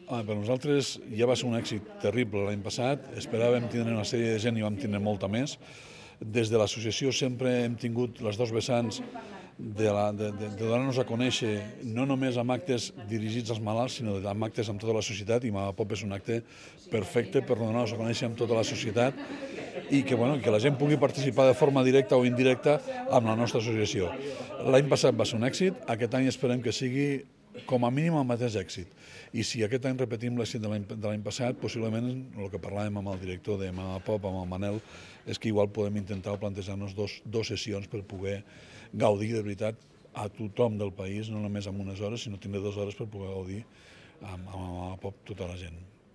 Per nosaltres ja va ser un èxit terrible l'any passat, esperàvem tindre una sèrie de gent i vam tindre molta més. Des de l'associació sempre hem tingut les dos vessants de donar-nos a conèixer no només amb actes dirigits als malalts, sinó amb actes amb tota la societat, i Mama Pop és un acte perfecte per donar-nos a conèixer amb tota la societat i que la gent pugui participar de forma directa o indirecta amb la nostra associació. L'any passat va ser un èxit, aquest any esperem que sigui com a mínim el mateix èxit. I si aquest any repetim l'èxit de l'any passat, possiblement el que parlàvem amb el director de Mama Pop, amb el Manel, és que igual podem intentar plantejar-nos dos sessions per poder gaudir de veritat a tothom del país, no només amb unes hores, sinó tindre 2 hores per poder gaudir amb Mama Pop tota la gent.